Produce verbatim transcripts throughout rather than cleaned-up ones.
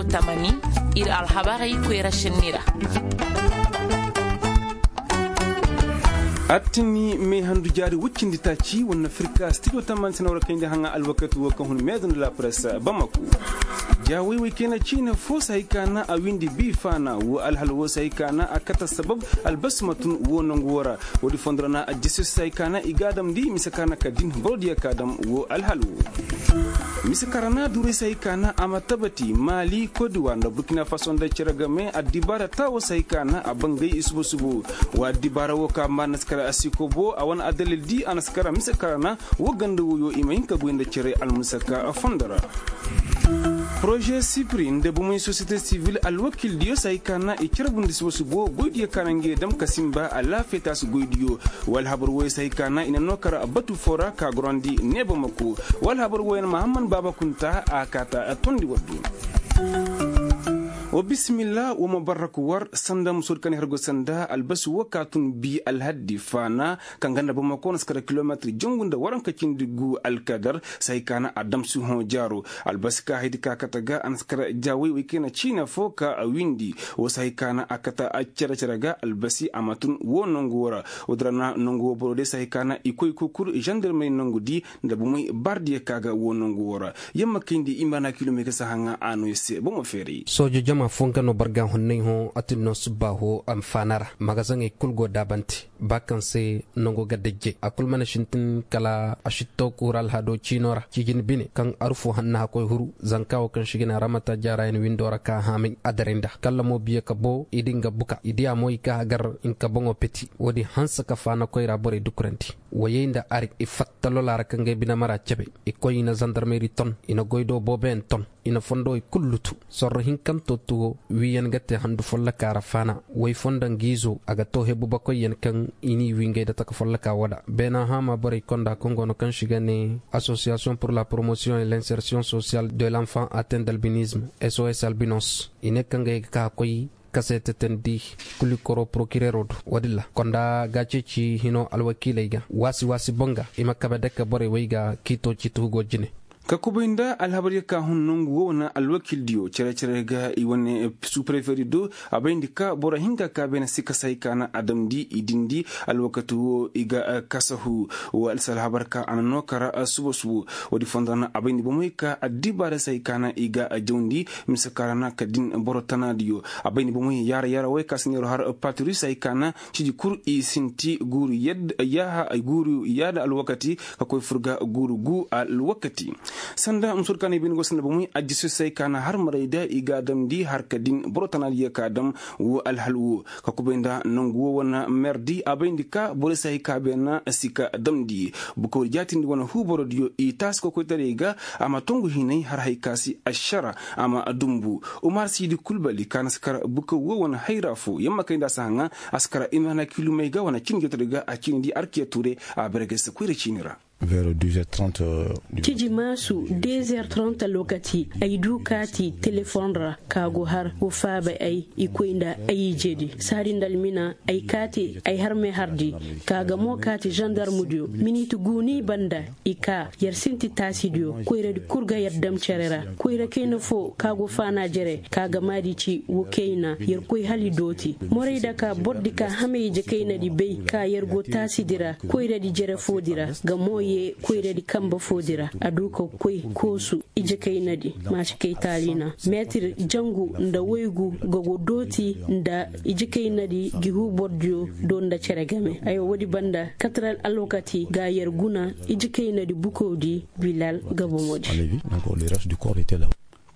Tamani, ir alhabarey koyra šenni ra. Attini me handu jaari woy cindi taaci wane firka stijo tamani sina war kayndi haŋa alwakati wo kaŋ hun meezo nda la presse bamako. Jaawey wey kayna ciine fo si hay ka na a windi bi faana wo alhal wo si hay ka na a kate sabab albasi ma tun wo nangu wo ra. Woodi fondo ra na aljasiyo si hay ka na i ga a damndi mise ka na ka din borodiyo ka dam wo alhal wo. Mise ka ra na duuray si hay ka na a ma tabati maali kodiwar nda burkina faso nda cere game addibaara taawo si hay ka na a bangay i subo subo. Wa addibaara wo ka ma na si kara a si kobo a wane addalil di a na si kara mise ka ra na wo ganda woyo i ma hin ka goy nda cere almusaka fondo ra. Poroze sipiri nda bomey sosiyete sivil alwakildiyo si hay ka na i carbundi subo subo goydiyo ka na ngey dam ka sinba alaafiya taasi goydiyo. Wa alhabar woyo si hay ka na i na noo kar batu foo ra ka gorandi neeba mako. Wa alhabar woyo na mahamman baaba kunta a kaata tondi waddu. Wa bisimilla wa ma barraku war sanda musoodi ka na i har go sanda albasi wo ka tun bi alhaddi faana kaŋ ganda bamako na si kara kilometir jangu nda waranka cindi gu alkadar si hay ka na a damsi hõ jaaro. Albasi ka haydi ka kate ga a na si kara jaawey wey kayna ciina fo ka a windi. Wo si hay ka na a kate cere cere ga albasi a ma tun wo nangu wo ra. Woodi ra na nangu wo boro day si hay ka na i koy kukur zandarmey nangu di nda bomey bardiyo ka ga wo nangu wo ra. Yamma kayndi i ma na kilomey ga si haŋa a no i se bomo feeray. Soojo jama fo nga no barga honnay hõ a tin no subba hõ a ma faana ra magazaŋey kul go daabante. Ba kaŋ se nango ga dajjay a kul mana sintin kala a si to kuura alhado ciino ra ciijin bine kaŋ arufo hanna hakkoy huru zanka wo kaŋ si ga ne ramata jaarayan windo ra ka haamay a daray nda kalla mo biye ka bo i di nga buka i diya mo i ka hagar nka boŋo peti. Woodi hanse ka faana koyra borey dukurandi wayey nda ari i fatta lola ra ka ngey bine mara cebe. I koy i na zandarmeri ton i na goy do booboyaŋ ton i na fondowey kul lutu. Sorro hinkanto tuwo wiiyaŋ ga te handu folloka ra faana. Way fonda ngiizo a ga to hebu bakoyyaŋ kaŋ i n'i wii ngey nda taka folloka woo da beena haama borey konda kaŋ go no kaŋ si ga ne association pour la promotion et l'insertion sociale de l'enfant atteint d'albinisme, sos albinos i ne kaŋ ga ye ga ka koy kase tetandi kulikoro porokirero do. Woodin ra konda ga ceeci hino alwakiiley ga waasi waasi boŋ ga i ma kabe dake borey wey ga kiito ciiti hugo jine. Ka kubay nda alhabar ye ka hun nangu wo wane alwakildiyo cere cere ga i wane suprefedi do. A bayndi ka boro hinka ka beene si kasa hay ka na a damndi i dindi alwakati wo i ga kasahu. Wo alsa alhabar ka a na no kara subo subo. Woodi fondo ra na a bayndi bomey ka addibaarey se hay ka na i ga jawndi mise ka ra na ka din boro tanaadiyo. A bayndi bomey yaara yaara wey ka si neero har paturus hay ka na ciji kul i sinti guuru yadda yaaha guuru yaada alwakati ka koy fur ga guuru gu alwakati. Sanda musoodi ka na i bine go sanda bomey ajjisosey ka na har maray da i ga a damndi har ka din boro tanaadiyo ka dam wo alhal wo. Ka kubay nda nangu wo wane merdi a bayndi ka borey se hay ka beena si ka damndi bukawri jaatindi wane huuborodiyo i taasi kokoytaray ga. A ma tongu hinay har hay ka si ašara a ma dumbu. Umar siidi kulbali ka na si kar bukaw wo wane hayra fo yamma kay nda a si haŋa a si kar imana kilumey ga wane ciini jootodi ga a ciinidi arkiya ture. A berge si koyra ciini ra. Ciji maasu deux heures trente lokaci ay du kaati telefoŋ ra ka go har go faaba ay i koy nda ay ijedi saadi nda almina ay kaati ay harme hardi. Ka ga mo kaati zandarmudiyo miniti gu ni banda i ka yer sinti taasidiyo koyradi kul ga yer dam cere ra. Koyra kayna fo ka go faana jere ka ga maadi ci wo kayna yer koy hala i dooti morayda ka bordi ka hamay ije kaynadi bay ka yer go taasidi ra koyradi jere foodi ra ga mo ye koyradi kamba foodi ra a du ka koy koosu ije kaynadi maasi kay taali na meetir jangu nda waygu ga go dooti nda ije kaynadi gi huubordiyo do nda cere game aywa woodi banda kataral alwakati ga yer guna ije kaynadi bukawdi bilal ga bomoodi.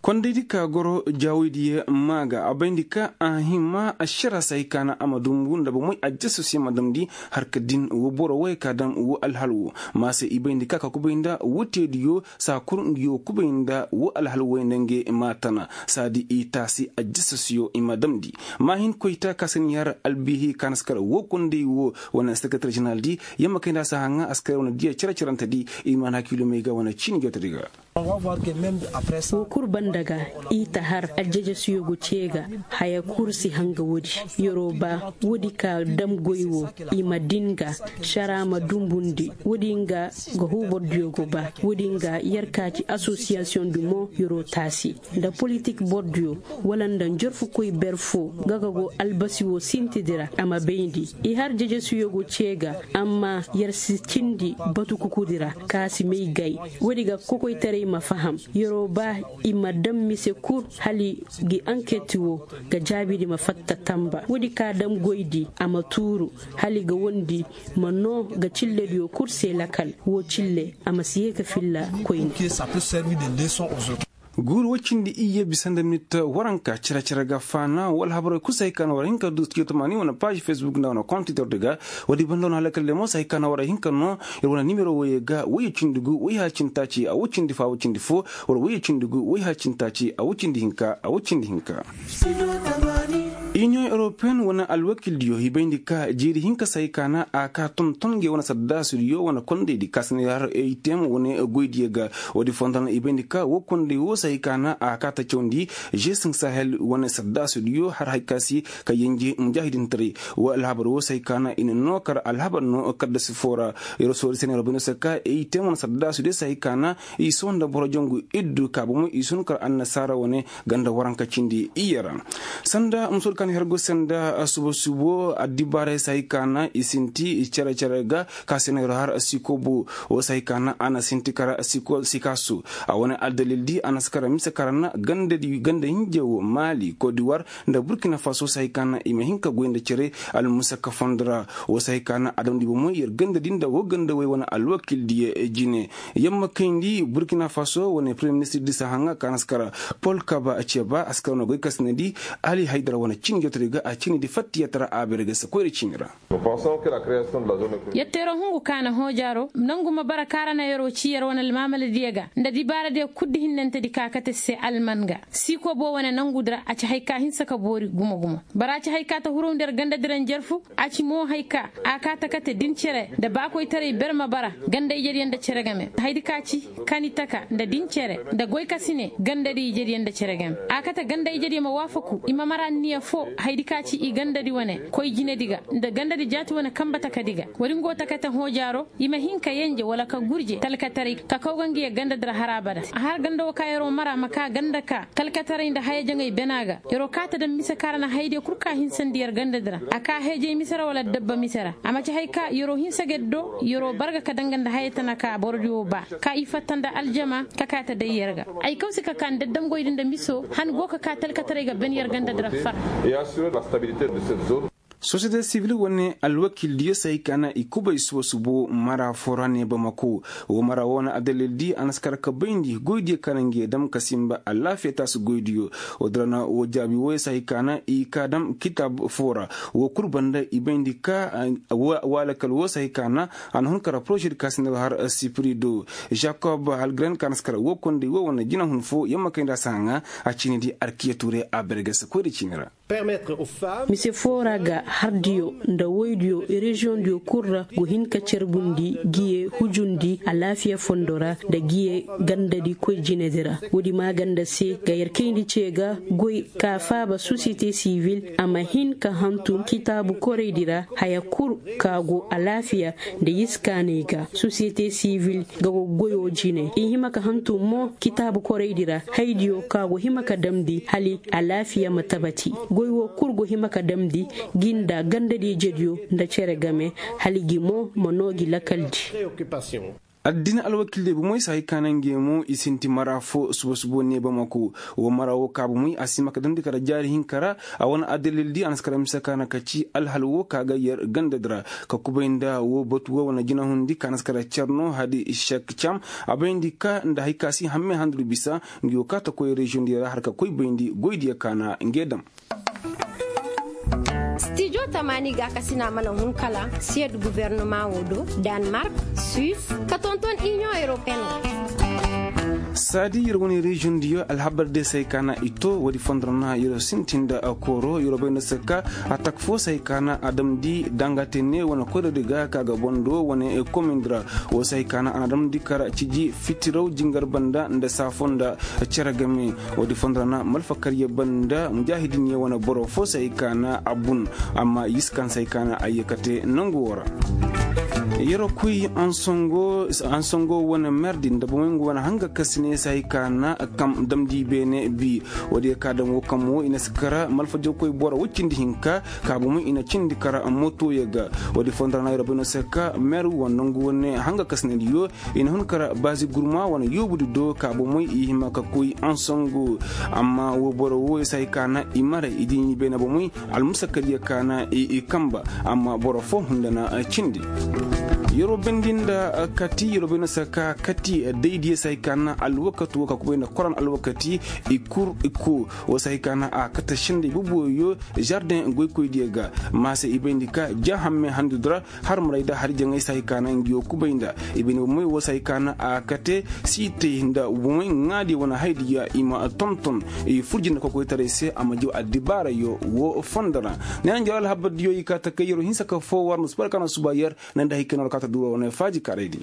Kondaydi ka goro jaawaydiyo maa ga a bayndi ka a hima ašara se hay ka na a ma dumbu nda bomey ajjasosiyo ma damndi har ka din wo boro wey ka dam wo alhal wo. Ma se i bayndi ka ka kubay nda wo teediyo saa kul ngiyo kubay nda wo alhal wey nda ngey maa tana saadi i taasi ajjasosiyo i ma damndi. Ma hin koyta ka si ni har albihi ka na si kar wo konday wo wane sekretar ženeraldi yamma kay nda a si haŋa a si kar wane diya cere-cerentedi. I ma na hakilumey ga wane ciini jootedi ga. Wo kul banda Daga i ta har aljajasiyo go ce ga haya kul si hanga woodi. Yer'o ba woodi ka dam goy wo i ma din ga šara ma dumbundi woodi nga ga huu bordiyo go ba woodi nga yer ka ci asosiyasiyoŋ di mo yer'o taasi nda politik bordiyo wala nda njarfukoy ber fo ga ga go albasi wo sintidi ra a ma bayndi. I har jajasiyo go ce ga amma yer si cindi batu kukudi ra ka si may gay. Woodi ga kokoytaray ma faham yer'o ba i ma dam mise kul hala i gi anketi wo ga jaabidi ma fatta tamba woodi ka dam goydi a ma tuuru hala i ga wondi ma noo ga cillediyo kul se lakal woo cille a ma si yee ka filla koyne. Guuru woy cindi iyye bisa nda mit waranka cere-cere ga faana wala habarey kul se hay ka na war hin ka du studio tamaani wane paazi fesbuk nda wane kont twitter di ga. Woodi banda wane halakal de mo se hay ka na war hin ka noo ir wane nimero woyey ga woyye cindi gu woy haya cindi taaci a woy cindi fo a woy cindi fo wala woyye cindi gu woy haya cindi taaci a woy cindi hinka a woy cindi hinka. Iniyoŋ europeyen wane alwakildiyo i bayndi ka jiiri hinka se hay ka na a ka tonton ngey wane saddaasudiyo wane kondaydi ka se na har eitem wane goydiyo ga. Woodi fondon i bayndi ka woo konday woo se hay ka na a ka ta cawndi. G sahel wane saddaasudiyo har hay ka se ka yenje mujaahidintaray. Woo alhabar woo se hay ka na i na noo kar alhabar no kaddasi foo ra. Yer soori se na yer bayndi se ka eitem wane saddaasudiyo se hay ka na i sohõ nda boro jangu iddu ka bomo i sun kar annasaara wane ganda waranka cindi iyye ra. Sanda musoodi ka na her go se nda suba subo addibaaray se hay ka na i sinti cere-cere ga ka se na yer har sikobo woo se hay ka na a na sinti kar sikaasu. A wane aldalildi a na si kar mise kar na ganda hinje wo maali kodiwar nda burkina faso se hay ka na i ma hin ka goy nda cere almusaka fondo ra. Woo se hay ka na a damndi bomoy yer gandadi nda woo gandawey wane alwakildiyo jine. Yamma kayndi burkina faso wane premiyee ministir di si haŋa ka na si kar pol kaba ceba a si kar wane goy ka si na di ali haydara wane ciini jootodi ga a ciinidi fattiyatara a bere ga si koyra ciini ra. Yatteeroo hungu ka na hoojaaroo nangu ma bara ka ra na yer'o ci yer wane almaamaladiyo ga nda dibaaradiyo kul di hinnantedi ka kate se alman ga. Siikoo boo wane nangudi ra a ci hay ka hinsa ka boori gumo-gumo. Bara a ci hay ka ta hurowndi yer gandadi ra njarfu. A ci mo hay ka a kaa ta kate din cere nda baakoytaray berma bara ganda ijediyo nda cere game haydi ka ci kani taka nda din cere nda goy ka si ne gandadi ijediyo nda cere game. A kate ganda ijediyo ma waafaku i ma mara anniya foo haydi ka ci i gandadi wane koy jinedi ga nda gandadi jaati wane kanba takadi ga. Woodi ngo ta kate hoojaaroo i ma hin ka yenje wala ka gurje talkataray ka kaw ga ngiya gandadi ra har abada. A har ganda woo ka yer'o mara ma kaa ganda ka talkataray nda haya jaŋay bena ga. Yer'o kaa ta daŋ mise ka ra na hayadiyo kul ka hinsandi yer gandadi ra a kaa heejay mise ra wala dabba mise ra a ma ci hay ka yer'o hinsa ga yer do yer'o barga ka danga nda haya tana ka borodiyo baa ka i fatta nda aljama ka kaa ta day yer ga. Ay kaw si ka kaa nda damgoydi nda miso han go ka kaa talkataray ga ben yer gandadi ra far. Sosiyete sivil wane alwakildiyo se hay ka na i kubay suba subo mara foo ra ne bamako. Woo mara woo na adalildi a na si kar ka bayndi goydiyo ka na nge dam ka sinba alaafiya taasu goydiyo. Woo dira na woo jaabi wooyo se hay ka na i kaa dam kitaab foo ra. Woo kul banda i bayndi ka woo alakal woo se hay ka na a na hun kar porozedi ka si na har sipiri do. Jakob halgren ka na si kar woo konday woo wane jinahun foo yamma kayndi a si haŋa a ciinidi arkiya tuure a berge si koyra ciini ra. Mise foo ra ga hardiyo nda woydiyo reziyoŋdiyo kul ra go hin ka carbundi giye hujundi alaafiya fondo ra nda giye gandadi koy jinedi ra. Woodi maaganda se ga yer kayndi ce ga goy ka faaba sosiyete sivil a ma hin ka hantum kitaabu koraydi ra haya kul ka go alaafiya nda iskaanay ga sosiyete sivil ga go goyo jine i hima ka hantum mo kitaabu koraydi ra haydiyo ka go hima ka damndi hala alaafiya ma tabati. Goy woo kul go hima ka damndi gi nda gandadi ijediyo nda cere game hala gi mo ma noo gi lakaldi. Addina alwakildiyo bomoy se hay ka na nge mo i sinti mara foo suba subo ne bamako. Woo mara woo ka bomoy a si hima ka damndi kala jaari hinka ra. A wane adalildi a na si kala mise ka na ka ci alhal woo ka ga yer gandadi ra ka kubay nda woo batu woo wane jinahundi ka na si kala cerno hadi sek cam. A bayndi ka nda hay ka si hamme handu bisa ngi woo ka ta koy reziyoŋdiyo ra har ka koy bayndi goydiyo ka na nge dam. Stijo tamaani gaakasina mana hun kala siyed gubernama woo do, danmark, suis ka tonton iniyoŋ europeyen ra. Saadi yer wane reziyoŋ diyo alhabar de se hay ka na i to woodi fondo ra na yer sintin nda kooro yer bay nda se ka atak fo se hay ka na a damndi dangate ne wane koyradi ga ka ga bondo wane komindi ra. Wo se hay ka na a na damndi kara ciji fitiraw jingar banda nda saafo nda cere game. Woodi fondo ra na malfakar yer banda mujaahidin yer wane boro fo se hay ka na a bun. Amma yiskan se hay ka na a ye kate nangu wo ra. Yeroo koy ansongo wane merdi nda bomey nga wane hanga kasine se hay ka na kam damndi beene bi. Woodiyo ka daŋ wo kam wo i na si kara malfajawkoy boro woy cindi hinka ka bomey i na cindi kara motoyo ga. Woodi fondo ra na yeroo bay no se ka mer wane nangu wane hanga kasinediyo i na hun kara baazi gurma wane yoobudi do ka bomey i hima ka koy ansongo. Amma wo boro wo i se hay ka na i maray i diini beene bomey almusakadiyo ka na i kamba. Amma boro foo hunda na cindi. Yeroo bendi nda kati yeroo bay no se ka kati daydiyo se hay ka na alwakati wo ka kubay nda koran alwakati i kur i koo. Wo se hay ka na a kate sendey boboyo zardeŋ goykoydiyo ga. Maase i bayndi ka ja hamme handudi ra har maray nda hari jaŋay se hay ka na ngi wo kubay nda i bayndi bomey wo se hay ka na a kate siitey nda bomey ŋaadiyo wane haydiyo i ma tonton i furji nda kokoytaray se a ma jaw addibaarayo wo fondo ra. Neena njaw alhabardiyo i kaa takay yeroo hinsa ka foo war nda suba ra ka na suba yer ne nda hay ka na war kaa ta duura wane faaji kaaraydi.